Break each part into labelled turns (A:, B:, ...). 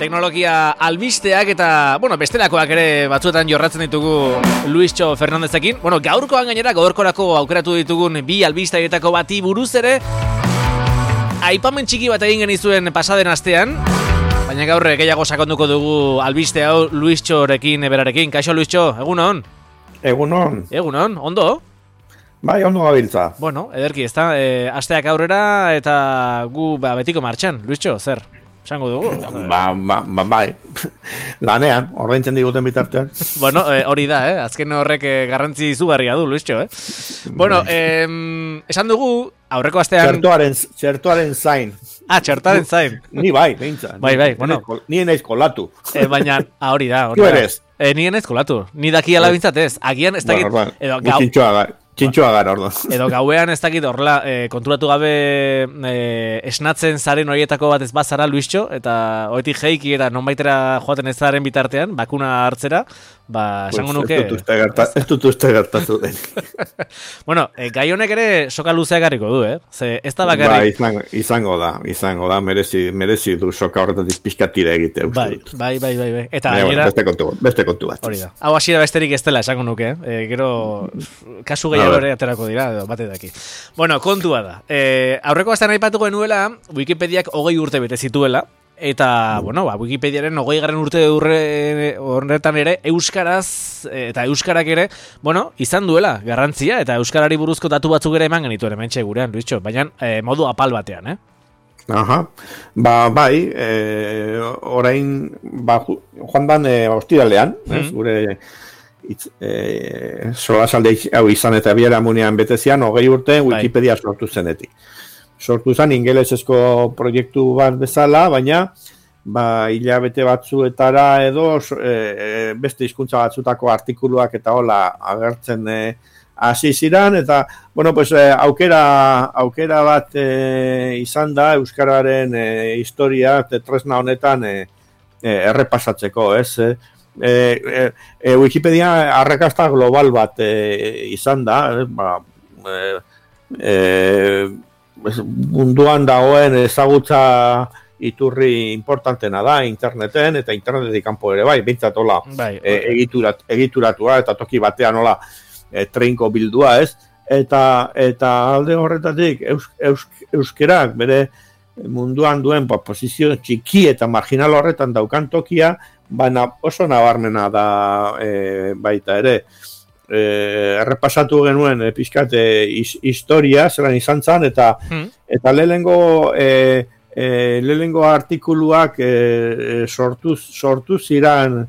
A: Teknologia albisteak eta, bestelakoak ere batzuetan jorratzen ditugu Luistxo Fernandezekin. Gaurkoan gainera gaurkorako aukeratu ditugun bi albisteetako bati buruz ere aipamen txiki bat egin genizuen pasaden astean, baina gaur gehiago sakonduko dugu albiste hau Luistxorekin berarekin. Kaixo Luistxo, egunon?
B: Egunon.
A: Egunon, ondo?
B: Bai, ondo gabiltza.
A: Ederki, ezta, asteak aurrera eta gu betiko martxan. Luistxo, zer? Esango dugu?
B: Bai. Lanean, ordaintzen diguten bitartean.
A: Hori da, azken horrek garrantzi izugarria du, Luistxo, esan dugu, aurreko astean...
B: Txertuaren zain.
A: Txertuaren zain.
B: Ni bai, behintzat.
A: Bai,
B: Ni enaiz kolatu.
A: Baina, hori da.
B: Tu eres.
A: Ni enaiz kolatu. Ni daki alabintzat ez. Agian ez dakit...
B: Txintxoa gara, ordo.
A: Edo gauean ez dakit horrela konturatu gabe esnatzen zaren horietako bat ez bazara, Luistxo, eta hoetik jeiki eta nonbaitera joaten ez zaren bitartean, bakuna hartzera, esango nuke...
B: Ez dut uste gertatu den.
A: Gai honek ere soka luzea garriko du, Ze ez da bakarrik...
B: Izango da, merezi du soka horretatik pixkatira egite, uste dut.
A: Bai. Eta
B: beste kontu bat.
A: Hori da. Hau hasiera besterik ez dela, esango nuke, gero kasu gehiago ere aterako dira, edo bate daki. Kontua da. Aurreko astean aipatu genuela, Wikipediak 20 urte bete zituela, eta, Wikipediaren 20. urte horretan ere, euskaraz, eta euskarak ere, izan duela garrantzia, eta euskarari buruzko datu batzuk ere eman genituen hementxe gurean, Luistxo, baina modu apal batean,
B: Aha, bai, orain, joan dan ostiralean, gure solasalde hau izan eta biera munean betezian, 20 urte Wikipedia sortu zenetik. Sortu zen ingelesezko proiektu bat bezala, baina hilabete batzuetara edo beste hizkuntza batzutako artikuluak eta hola agertzen hasi ziren, eta aukera bat izan da euskararen historia tresna honetan errepasatzeko, Wikipedia arrakasta global bat izan da, munduan dagoen ezagutza iturri importantena da interneten, eta internetetik kanpo ere bai, bintzat hola egituratua eta toki batean hola treinko bildua, eta alde horretatik euskerak bere munduan duen posizio txiki eta marginal horretan daukan tokia, baina oso nabarmena da baita ere. Errepasatu genuen pixkate historia, zelan izan zen, eta lehenengo artikuluak sortu ziren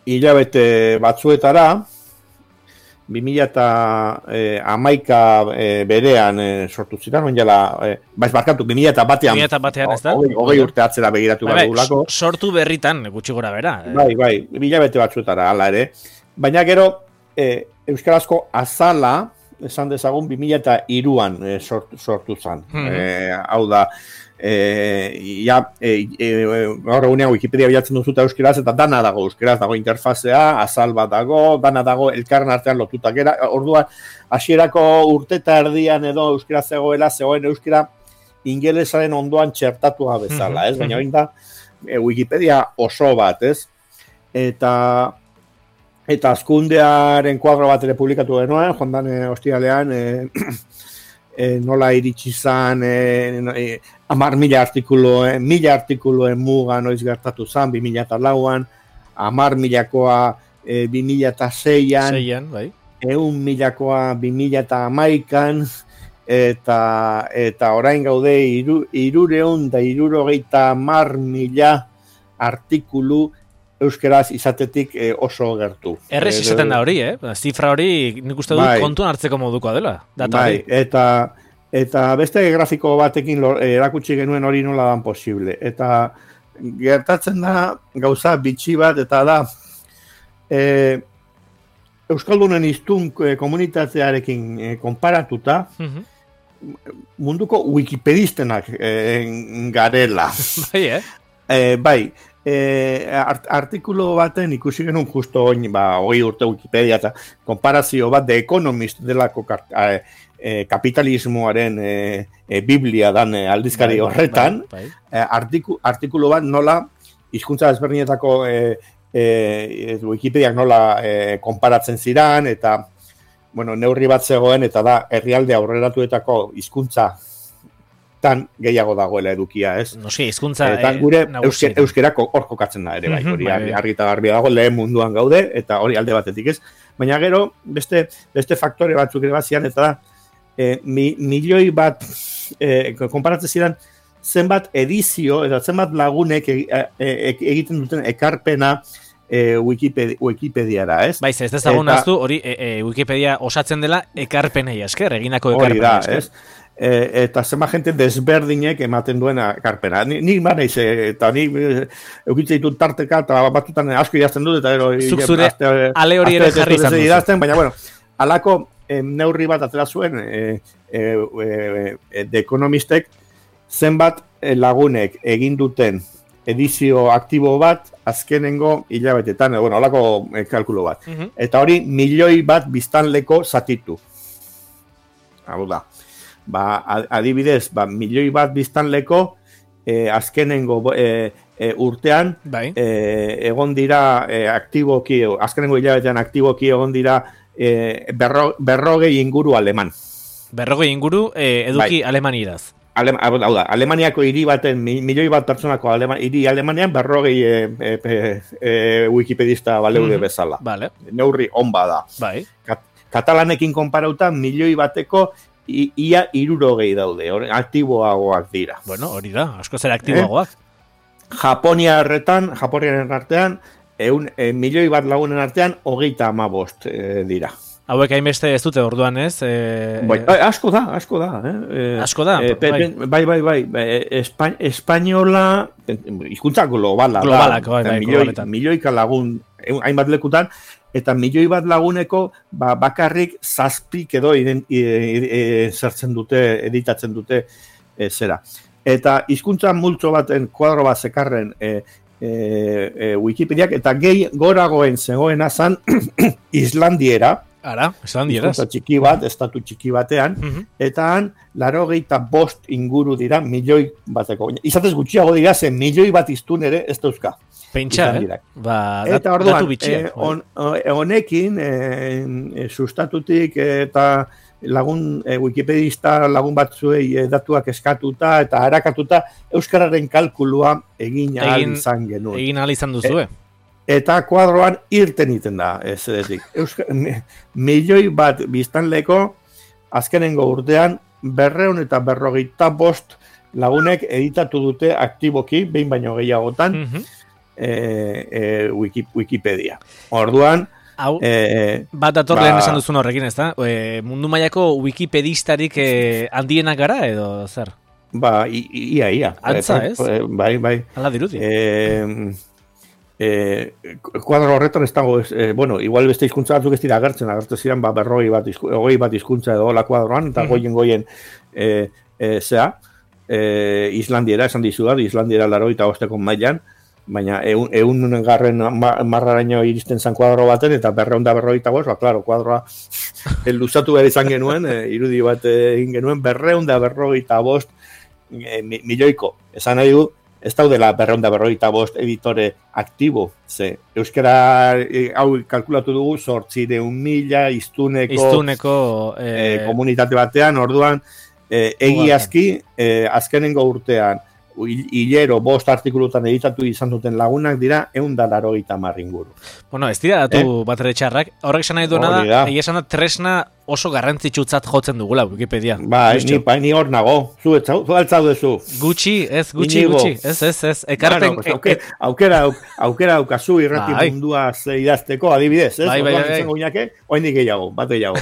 B: hilabete batzuetara, 2011 berean sortu ziren, barkatu, 2001-ean,
A: ez da?
B: 20 urte atzera begiratu badugulako.
A: Sortu berritan, gutxi gora bera.
B: Bai, hilabete batzuetara, hala ere. Baina gero, euskarazko azala, esan dezagun, 2003an sortu zen. Hau da, gaur egunean Wikipedia bilatzen duzuta euskeraz, eta dana dago euskeraz, dago interfazea, azal bat dago, dana dago elkarren artean lotutak era, orduan, hasierako urte eta erdian edo euskeraz zegoen euskera ingelesaren ondoan txertatua bezala, baina hori da Wikipedia oso bat, eta azkundearen kuadro bat ere publikatu genuen, joan dan ostiralean, nola iritsi zan 10.000 artikuluen muga noiz gertatu zan 2004an, 10.000koa 2006an, 100.000koa 2011an, eta orain gaude 370.000 artikulu euskeraz izatetik oso gertu.
A: Errez izaten da hori, zifra hori nik uste dut kontuan hartzeko modukoa dela.
B: Bai, eta beste grafiko batekin erakutsi genuen hori nola dan posible. Eta gertatzen da gauza bitxi bat, eta da Euskaldunen hiztun komunitatearekin konparatuta, munduko wikipedistenak garela.
A: Bai,
B: Bai, artikulu baten ikusi genuen justo oin, 20 urte Wikipedia eta konparazio bat The Economist delako kapitalismoaren biblia dan aldizkari horretan, artikulu bat nola hizkuntza ezberdinetako Wikipediak nola konparatzen ziran, eta neurri bat zegoen, eta da herrialde aurreratuetako hizkuntza tan gehiago dagoela edukia, ez?
A: Noski, hizkuntza
B: eta gure euskerako hor kokatzen da ere, bai, hori argi eta garbi dago, lehen munduan gaude, eta hori alde batetik, ez? Baina gero, beste faktore batzuk ere bazian, eta da, milioi bat, konparatzen ziren, zenbat edizio, eta zenbat lagunek egiten duten ekarpena Wikipediara, ez?
A: Baiz, ez dezagun aztu, hori Wikipedia osatzen dela ekarpenei esker, eginako ekarpenei esker.
B: Hori da, ez? Eta zema gente desberdinek ematen duena ekarpena. Nik baneiz, eta nik eukitzen ditut tarteka, eta batutan asko idazten dut, eta
A: zuk zure ale hori ere jarri izan
B: duzu. Baina, alako neurri bat atera zuen The Economistek zenbat lagunek egin duten edizio aktibo bat azkenengo hilabetetan, alako kalkulo bat. Eta hori milioi bat biztanleko zatitu. Hau da. Adibidez, milioi bat biztanleko azkenengo urtean egon dira aktiboki, azkenengo hilabetean aktiboki egon dira berrogei inguru aleman.
A: Berrogei inguru eduki alemanieraz.
B: Hau da, Alemaniako hiri baten, milioi bat pertsonako hiri Alemanian berrogei wikipedista baleude bezala. Neurri on bada. Katalanekin konparauta milioi bateko ia 60 daude, aktiboagoak dira.
A: Bueno, hori da, asko zera aktiboagoak.
B: Japoniaren artean, milioi bat lagunen artean, 35 dira.
A: Hauek hainbeste ez dute orduan, ez?
B: Asko da.
A: Asko da?
B: Bai. Espainola, hizkuntza globalak.
A: Globaletan.
B: Milioika lagun, hainbat lekutan, eta milioi bat laguneko bakarrik 7 edo zertzen dute, editatzen dute zera. Eta hizkuntza multzo baten kuadro bat zekarren Wikipediak, eta goragoen zegoena zan Islandiera.
A: Islandiera.
B: Txiki bat, estatu txiki batean, eta han 85 inguru dira milioi bateko. Izatez gutxiago dira, ze milioi bat iztun ere ez dauzka.
A: Pentsa,
B: eta orduan, honekin, sustatutik eta lagun wikipedista lagun batzuei datuak eskatuta eta harakatuta euskararen kalkulua egin ahal izan genuen.
A: Egin ahal izan duzue.
B: Eta kuadroan irten iten da, ez edetik. Milioi bat biztanleko azkenengo urtean 255 lagunek editatu dute aktiboki, behin baino gehiagotan, Wikipedia. Orduan,
A: bat dator lehen esan duzun horrekin, ez da? Mundu mailako wikipedistarik handienak gara, edo zer?
B: Ia.
A: Antza, ez?
B: Bai.
A: Hala dirudi.
B: Kuadro horretan ez dago, igual beste hizkuntza batzuk ez dira agertzen ziren, 20 bat hizkuntza edo la kuadroan, eta goien zea, Islandiera, esan dizudat, Islandiera 85 mailan, baina 100 marraraino iristen zan kuadro baten, eta 255, klaro, kuadroa luzatu behar izan genuen, irudi bat egin genuen, 255 milioiko, esan nahi du, ez daudela 255 editore aktibo, ze euskara hau kalkulatu dugu 800.000 iztuneko komunitate batean, orduan egiazki azkenengo urtean hilero 5 artikulutan editatu izan duten lagunak dira 180 inguru.
A: Bueno, ez dira datu bat ere txarrak, horrek esan nahi duena da, egia esan da tresna oso garrantzitsutzat jotzen dugula Wikipedia.
B: Ni hor nago, zu altzaude zu.
A: Gutxi, ez. Ekarpen...
B: Aukera aukazu irrati mundua idazteko, adibidez, ez?
A: Bai.
B: Oindik gehiago, bat gehiago.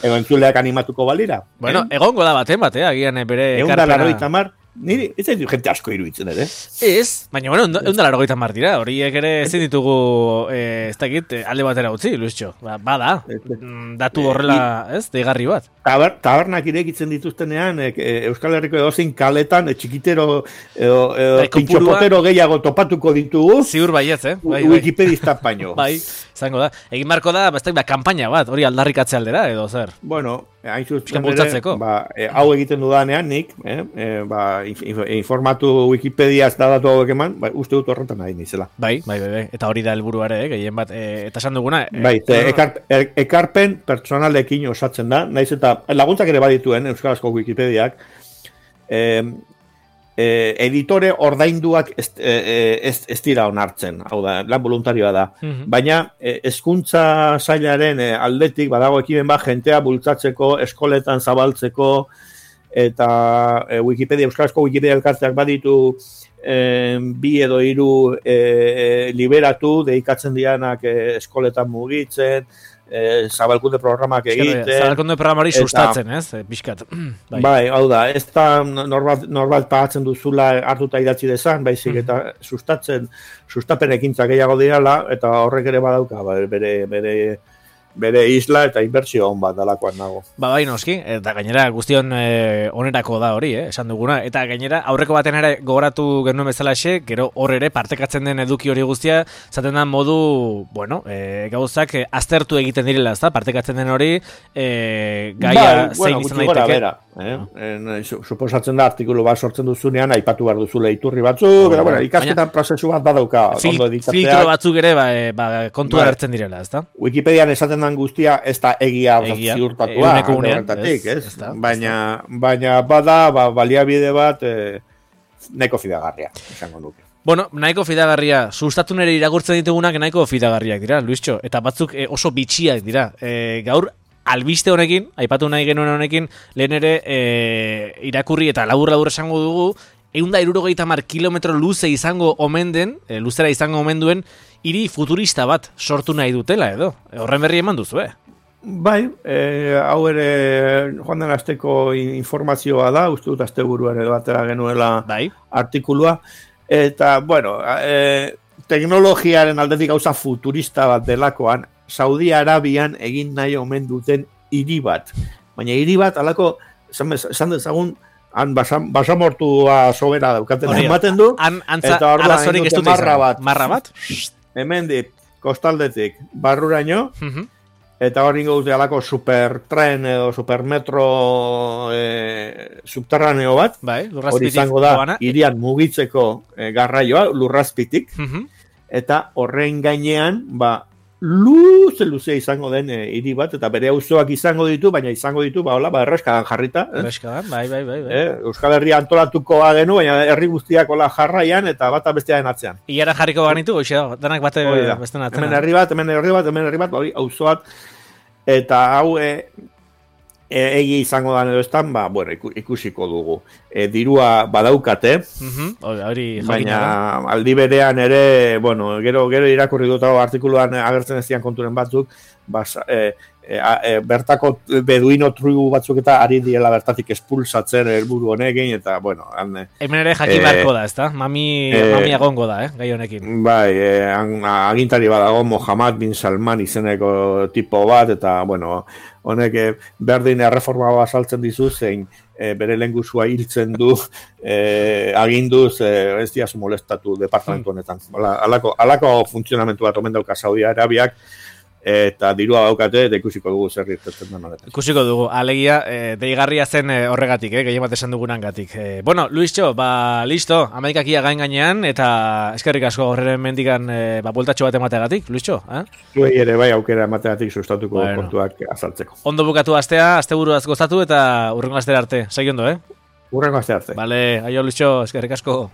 A: Egon
B: entzuleak animatuko balira.
A: Bueno, egongo da baten, agian bere ekarpena...
B: Niri, ez da jente asko iruditzen ere.
A: Ez, baina, bueno, eundalaro goitan martira, horiek ere ezin ditugu, ez dakit, alde batera utzi, Luistxo. Bada, datu horrela, ez, deigarri bat.
B: Tabernak irekitzen dituztenean, Euskal Herriko edozein kaletan, txikitero, pintxopotero gehiago topatuko ditugu.
A: Ziur baietz,
B: Wikipedista baino.
A: Bai, izango da. Egin marko da, kampaina bat, hori aldarrikatze aldera, edo zer.
B: Bueno, hain zuzen ere, hau egiten dudanean nik, informatu Wikipedia ez da datu hauek eman, uste dut horretan nahi nizela.
A: Bai, eta hori da helburuare, gehien bat, eta esan duguna.
B: Ekarpen pertsonalekin osatzen da, naiz eta laguntzak ere badituen Euskarazko Wikipediak, editore ordainduak ez dira onartzen, hau da, lan voluntarioa da. Baina, hezkuntza sailaren aldetik, badago ekimen bat, jentea bultzatzeko, eskoletan zabaltzeko, eta Euskarazko Wikipedia elkarteak baditu 2 edo 3 liberatu, deikatzen dianak eskoletan mugitzen, zabalkunde programak egiten.
A: Zabalkunde programari sustatzen, ez? Piskat.
B: Bai, hau da, ez da norbait pagatzen duzula hartuta idatzi dezan, baizik eta sustapen ekintzak gehiago dirala, eta horrek ere badauka, bere isla eta inbertsio hon bat dalakoan nago.
A: Bai, noski, eta gainera guztion onerako da hori, esan duguna, eta gainera aurreko baten ere gogoratu genuen bezalaxe, gero hor ere partekatzen den eduki hori guztia, zaten da modu, bueno, gauzak aztertu egiten direla, ezta, partekatzen den hori, gaia zein izan daiteke.
B: Suposatzen da artikulu bat sortzen duzunean, aipatu behar duzule iturri batzuk, ikasketan prozesu bat badauka.
A: Filtro batzuk ere kontua hartzen direla, ezta?
B: Wikipedian esaten den guztia ez da egia ziurtatua, baina bada baliabide bat nahiko fidagarria, esango nuke.
A: Bueno, nahiko fidagarria, sustatu nire irakurtzen ditugunak nahiko fidagarriak dira, Luistxo, eta batzuk oso bitxiak dira. Gaur, albiste honekin, aipatu nahi genuen honekin, lehen ere irakurri eta labur esango dugu, 160 kilometro luze izango omen den, luzera izango omen duen, hiri futurista bat sortu nahi dutela edo. Horren berri eman duzu,
B: Bai, hau ere joan den asteko informazioa da, uste dut asteburuan edo batera genuela artikulua. Eta, bueno, teknologiaren aldetik gauza futurista bat delakoan, Saudi Arabian egin nahi omen duten hiri bat. Baina hiri bat, alako, esan dezagun, han basamortua sobera daukaten ematen du, eta hor da egin
A: marra bat,
B: hemen dit, kostaldetik, barruraino, eta hor ingo dute alako supertren edo supermetro subterraneo bat, hori izango da, hirian mugitzeko garraioa, lurrazpitik, eta horren gainean, luze izango den hiri bat, eta bere auzoak izango ditu, baina izango ditu, erreskadan jarrita.
A: Erreskadan, bai.
B: Euskal Herria antolatuko genu, baina herri guztiak jarraian, eta bata bestearen atzean.
A: Iara jarriko banitu, danak bate bestean atzean.
B: Hemen herri bat, auzoak, eta hau egi izango da edo estan, ikusiko dugu. Dirua badaukate, baina aldi berean ere, gero irakurri dut artikuluan agertzen ez dian konturen batzuk, bertako beduino tribu batzuk eta ari diela bertatik espulsatzen helburu honekin, eta,
A: hemen ere jakin beharko da, ezta? Mami agongo da, gai honekin.
B: Bai, agintari badago Mohammed bin Salman izeneko tipo bat, eta, honek berdin erreforma basaltzen dizu, zein bere lehengusua hiltzen du, aginduz, ez diazu molestatu departamentu honetan. Alako funtzionamentu bat omen dauka Saudi Arabiak, eta dirua daukate, eta ikusiko dugu zer irtetzen den honetan.
A: Ikusiko dugu, alegia, deigarria zen horregatik, gehien bat esan dugunan gatik. Bueno, Luistxo, listo, Amerikakia gainean, eta eskerrik asko horren mendikan bueltatxo bat emateagatik, Luistxo?
B: Zuei ere bai aukera emateagatik sustatuko kontuak azaltzeko.
A: Ondo bukatu astea, asteburuaz gozatu, eta urrengo astera arte, segi ondo,
B: Urrengo astea arte.
A: Vale, aio Luistxo, eskerrik asko.